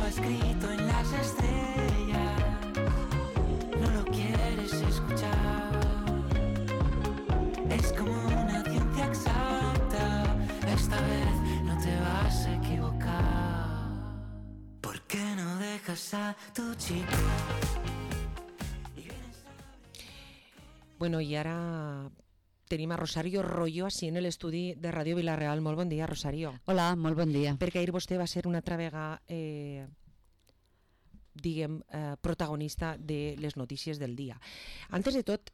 estaba escrito en las estrellas, no lo quieres escuchar. Es como una ciencia exacta, esta vez no te vas a equivocar. ¿Por qué no dejas a tu chico? Bueno, i ara tenim a Rosario Royo així en l'estudi de Ràdio Vila-real. Molt bon dia, Rosario. Hola, molt bon dia. Perquè ahir vostè va ser una altra vegada protagonista de les notícies del dia. Antes de tot,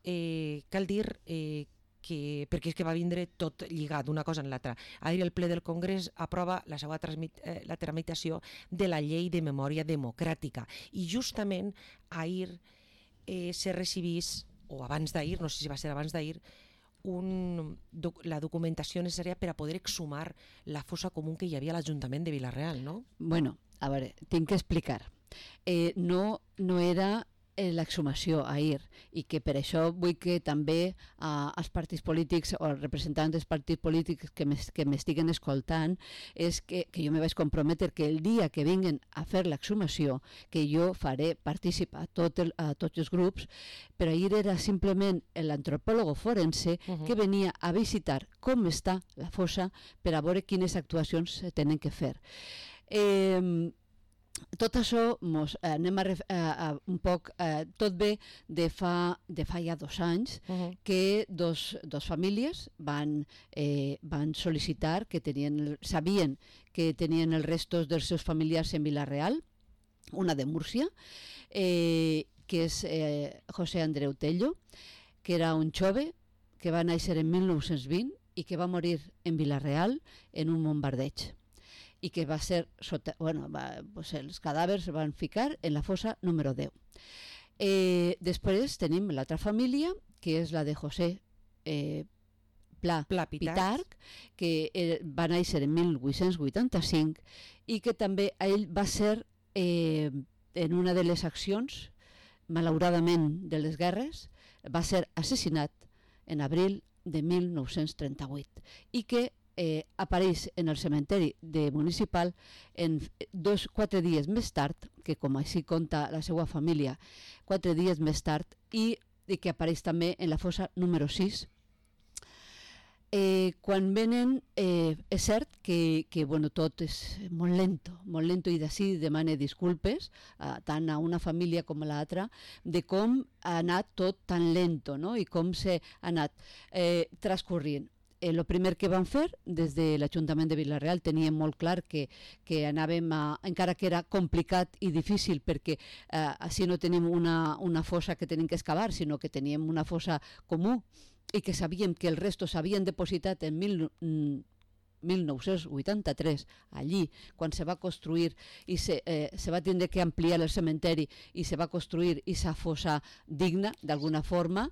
cal dir que, perquè és que va vindre tot lligat una cosa en l'altra. Ahir el ple del Congrés aprova la tramitació de la llei de memòria democràtica i justament ahir se recibís, o abans d'ahir, no sé si va ser abans d'ahir, la documentació necessària per a poder exhumar la fossa comú que hi havia a l'Ajuntament de Vila-real, no? Bueno, a veure, tinc que explicar. No era l'exhumació ahir, i que per això vull que també els partits polítics o els representants dels partits polítics que m'estiguen escoltant, és que jo me vaig comprometre que el dia que vinguen a fer l'exhumació, que jo faré participar a tots els grups, però ahir era simplement l'antropòleg forense que venia a visitar com està la fossa per a veure quines actuacions se tenen que fer. Tot això anem un poc, tot ve de fa ja 2 anys que dos famílies van sol·licitar que sabien que tenien els restos dels seus familiars en Vila-real, una de Múrcia, que és José Andreu Tello, que era un jove que va néixer en 1920 i que va morir en Vila-real en un bombardeig, i que va ser els cadàvers van ficar en la fossa número 10. Després tenim l'altra família, que és la de José Pla Pitarch, que va néixer en 1885 i que també ell va ser en una de les accions, malauradament de les guerres, va ser assassinat en abril de 1938 i que apareix en el cementeri municipal 4 dies més tard, que com així conta la seva família, 4 dies més tard, i que apareix també en la fossa número 6. Quan venen, és cert que tot és molt lento, i d'ací demane disculpes tant a una família com a l'altra de com ha anat tot tan lento, no? I com s'ha anat transcorrint. El primer que vam fer des de l'Ajuntament de Vila-real teníem molt clar que anàvem encara que era complicat i difícil, perquè així no tenim una fossa que tenim que excavar, sinó que teníem una fossa comú i que sabíem que els restos s'havien depositat en 1983 allí, quan se va construir i se va tindre que ampliar el cementeri i se va construir aquesta fossa digna d'alguna forma,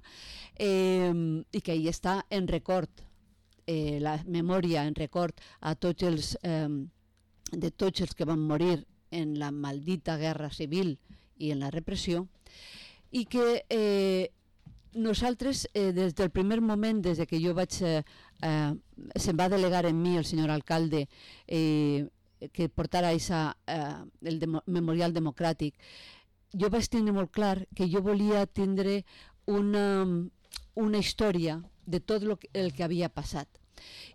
i que ahí està en record, la memòria en record a tots els que van morir en la maldita guerra civil i en la repressió, i que nosaltres des del primer moment, des que jo vaig se'm va delegar en mi el senyor alcalde que portara el memorial democràtic, jo vaig tindre molt clar que jo volia tindre una història de tot el que havia passat.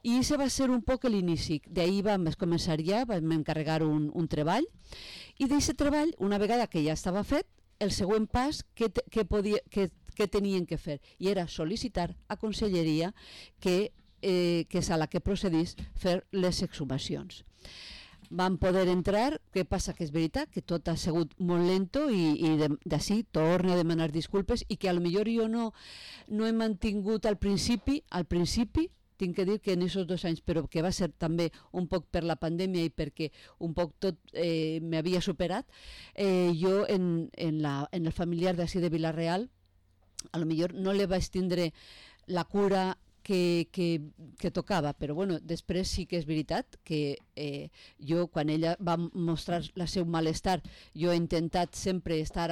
I això va ser un poc l'inici. D'ahir vam començar vam encarregar un treball, i d'aquest treball, una vegada que ja estava fet, el següent pas que tenien que fer, i era sol·licitar a Conselleria que és a la que procedís fer les exhumacions. Vam poder entrar, què passa? Que és veritat que tot ha sigut molt lento i d'ací torno a demanar disculpes, i que potser jo no he mantingut al principi, tinc que dir que en aquests 2 anys, però que va ser també un poc per la pandèmia i perquè un poc tot m'havia superat, jo en el familiar d'ací de Vila-real potser no li vaig tindre la cura que tocava, però bueno, després sí que és veritat que jo, quan ella va mostrar el seu malestar, jo he intentat sempre estar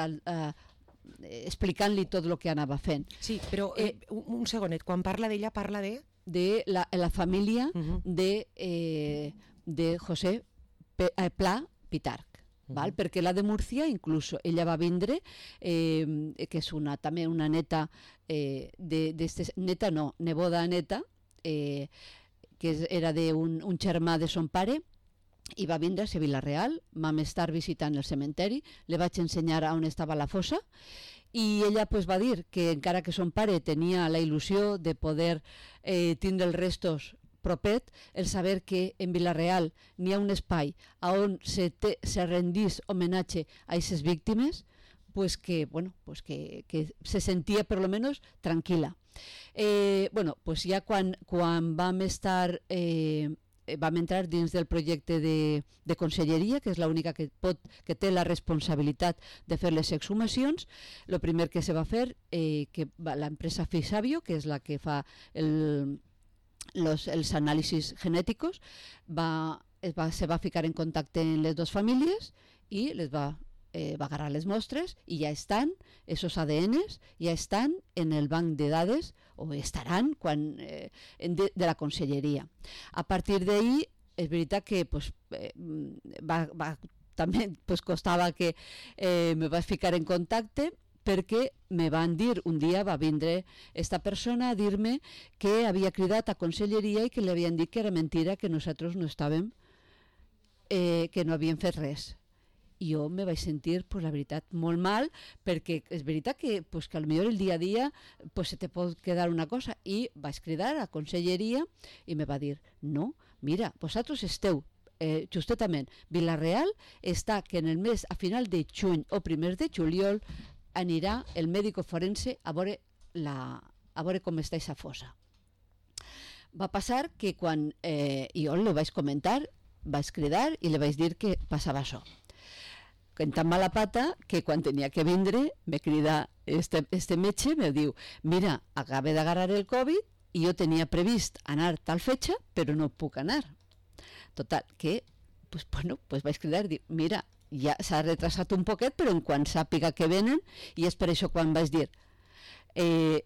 explicant-li tot el que anava fent. Sí, però un segonet, quan parla d'ella parla de la família de José Pla Pitarch. val? Perquè la de Múrcia, inclús ella va vindre, que és també una neta, neboda neta, que era d'un germà de son pare, i va vindre a Vila-real, vam estar visitant el cementeri, li vaig ensenyar on estava la fossa, i ella pues, va dir que encara que son pare tenia la il·lusió de poder tindre els restos propet, el saber que en Vila-real n'hi ha un espai on se rendís homenatge a aquestes víctimes, pues que, bueno, pues que se sentia per lo menos tranquil·la. Bueno, pues ja quan vam estar... vam entrar dins del projecte de conselleria, que és l'única que té la responsabilitat de fer les exhumacions. El primer que se va fer, que l'empresa Fisabio, que és la que fa els anàlisis genètics, se va ficar en contacte amb les dues famílies i va agarrar les mostres i ja estan, esos ADNs, ja estan en el banc de dades, o estaran de la conselleria. A partir d'ahí, és veritat que també costava que me vaig ficar en contacte, perquè me van dir, un dia va vindre esta persona a dir-me que havia cridat a conselleria i que li havien dit que era mentira, que nosaltres no estàvem, que no havíem fet res. I jo me vaig sentir, la veritat, molt mal, perquè és veritat que potser el dia a dia se te pot quedar una cosa. I vaig cridar a conselleria i me va dir, no, mira, vosaltres esteu, justament, Vila-real està que en el mes, a final de juny o primers de juliol, anirà el mèdico forense a veure com està aquesta fossa. Va passar que quan jo li vaig comentar, vaig cridar i li vaig dir que passava això. En tan mala pata que quan tenia que vindre me crida este metge, me diu, mira, acabé d'agarrar el Covid i jo tenia previst anar tal fetxa, però no puc anar. Total, que vaig cridar i dir, mira, ja s'ha retrasat un poquet, però en quan sàpiga que venen, i és per això quan vaig dir, i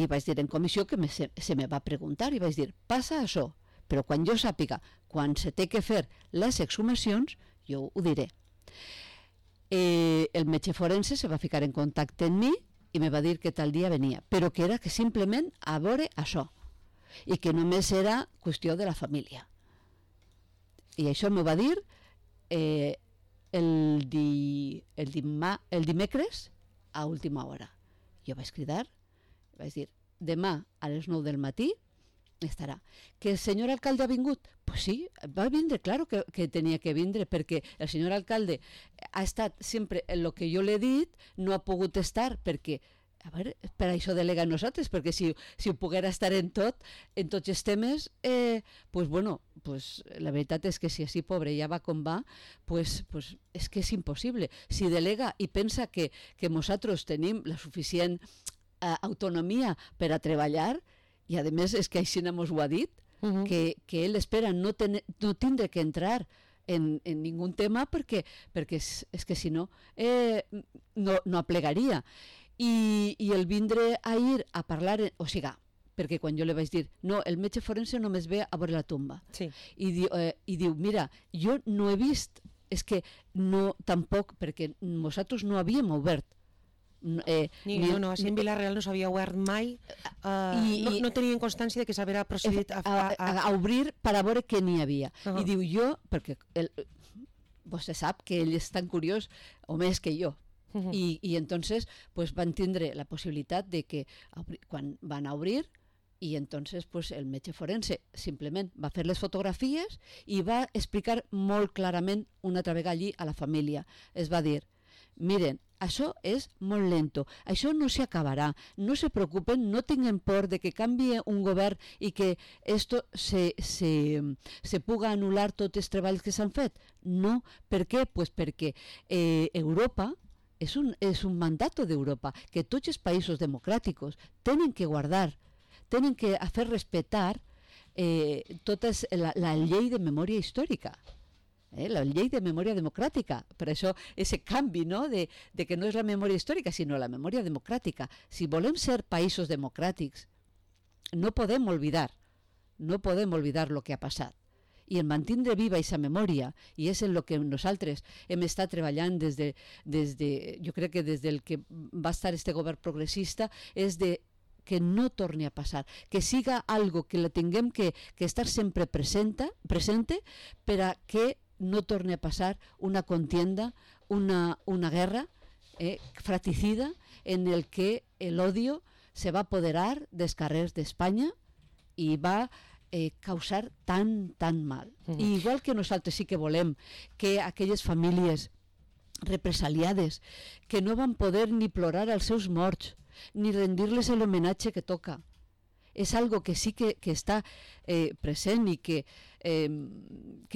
vaig dir en comissió que se me va preguntar, i vaig dir, passa això, però quan jo sàpiga, quan se té que fer les exhumacions, jo ho diré. El metge forense se va ficar en contacte amb mi i me va dir que tal dia venia, però que era que simplement a veure això i que només era qüestió de la família. I això m'ho va dir el dimecres a última hora. Jo vaig cridar, vaig dir, demà a les 9 del matí estarà. Que el senyor alcalde ha vingut? Pues sí, va vindre, claro que tenia que vindre, perquè el senyor alcalde ha estat sempre en el que jo l'he dit, no ha pogut estar, perquè, a veure, per això delega nosaltres, perquè si ho poguera estar en tots els temes, la veritat és que si així pobre ja va com va, és que és impossible. Si delega i pensa que nosaltres tenim la suficient autonomia per a treballar, i a més és que així mos ho ha dit, que ell espera no tindre que entrar en ningú tema perquè és que si no no aplegaria. I el vindre a ir a parlar, o sigui, perquè quan jo li vaig dir, no, el metge forense només ve a veure la tomba. Sí. I diu, mira, jo no he vist, és que no, tampoc, perquè nosaltres no havíem obert. No, així en Vila-real no s'havia obert mai, no tenien constància de que s'havia procedit a obrir per a veure què n'hi havia. I diu jo, perquè vostè sap que ell és tan curiós, o més que jo, i entonces van tindre la possibilitat de que quan van a obrir, i entonces el metge forense simplement va fer les fotografies i va explicar molt clarament una altra vegada allí a la família. Es va dir, miren, això és molt lento, això no s'acabarà, no se preocupen, no tinguin por de que canvie un govern i que esto se puga anul·lar tots els treballs que s'han fet. No, per què? Pues perquè Europa és un mandato d'Europa, que tots els països democràtics tenen que guardar, tenen que fer respectar tota la llei de memòria històrica. La llei de memòria democràtica, per això aquest canvi, no? de que no és la memòria històrica, sinó la memòria democràtica. Si volem ser països democràtics, no podem oblidar el que ha passat. i en mantindre viva aquesta memòria, i és en el que nosaltres hem estat treballant jo crec que des del que va estar este govern progressista, és de que no torni a passar, que siga algo que la tinguem que estar sempre presente per a que no torni a passar una contienda, una guerra fratricida en el que l'odio se va apoderar dels carrers d'Espanya i va causar tant mal. I igual que nosaltres sí que volem que aquelles famílies represaliades que no van poder ni plorar als seus morts ni rendir-les l'homenatge que toca, és algo que sí que està present i que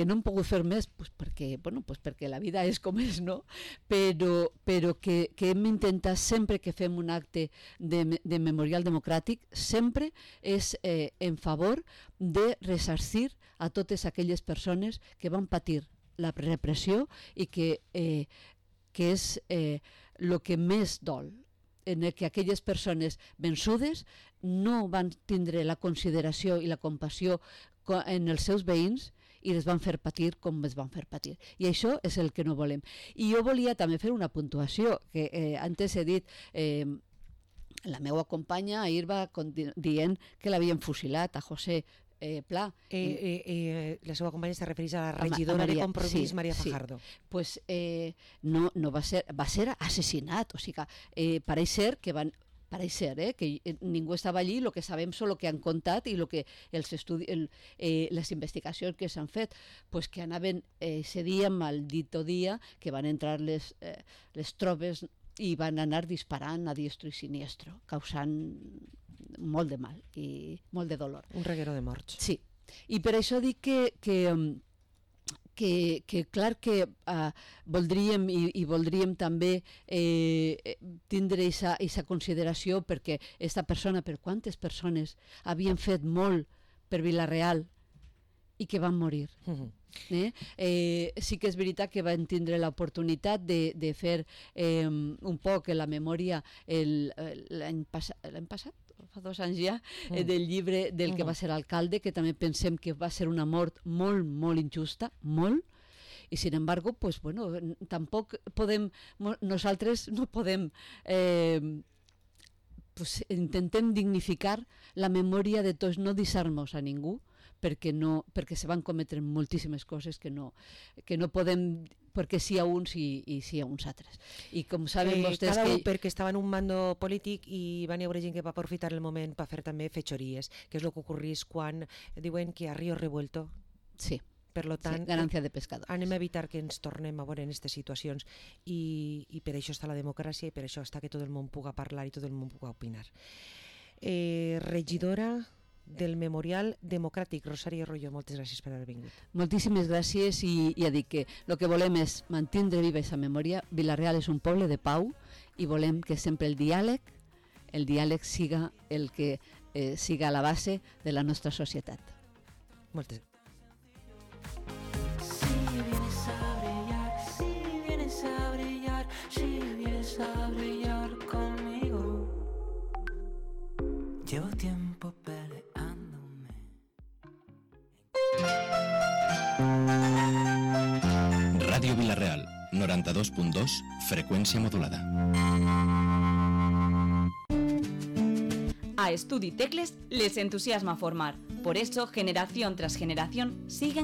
no hem pogut fer més perquè la vida és com és, no? Però que hem d'intentar sempre que fem un acte de memorial democràtic, sempre és en favor de ressarcir a totes aquelles persones que van patir la repressió i que és el que més dol, en el que aquelles persones vençudes no van tindre la consideració i la compassió en els seus veïns i les van fer patir com es van fer patir. I això és el que no volem. I jo volia també fer una puntuació, que antes he dit, la meva companya ahir va dient que l'havien fusilat a José Pla. La seva companya se refereix a la regidora de Compromís, Maria Fajardo. Pues no va ser assassinat, o sigui que pareix ser que van que ningú estava allí, el que sabem és el que han contat i les investigacions que s'han fet, pues que anaven ese dia, maldito dia, que van entrar les tropes i van anar disparant a diestro i siniestro, causant molt de mal i molt de dolor. Un reguero de morts. Sí, i per això dic que clar que voldríem i voldríem també tindre aquesta consideració, perquè aquesta persona, per quantes persones havien fet molt per Vila-real i que van morir. Sí que és veritat que van tindre l'oportunitat de fer un poc la memòria l'any passat, fa 2 anys ja, del llibre del que va ser alcalde, que també pensem que va ser una mort molt, molt injusta, molt, i sin embargo, pues bueno, tampoc podem, nosaltres no podem, pues intentem dignificar la memòria de tots, no deixar-nos a ningú, perquè se van cometre moltíssimes coses que no podem, perquè sí a uns i sí a uns altres. I com saben vostès cada un perquè estava en un mando polític i van hi haver gent que va aprofitar el moment per fer també fetxories, que és el que ocorreix quan diuen que a río revuelto. Sí. Per tant, ganancia de pescadores. Anem a evitar que ens tornem a veure en aquestes situacions i per això està la democràcia i per això està que tot el món puga parlar i tot el món puga opinar. Regidora del Memorial Democràtic, Rosario Royo, moltes gràcies per haver vingut. Moltíssimes gràcies i ja dic que el que volem és mantindre viva aquesta memòria. Vila-real és un poble de pau i volem que sempre el diàleg siga el que siga la base de la nostra societat. Moltes gràcies. Llevo tiempo peleándome. Ràdio Vila-real, 92.2, frecuencia modulada. A Estudi Tecles les entusiasma formar. Por eso, generación tras generación, siguen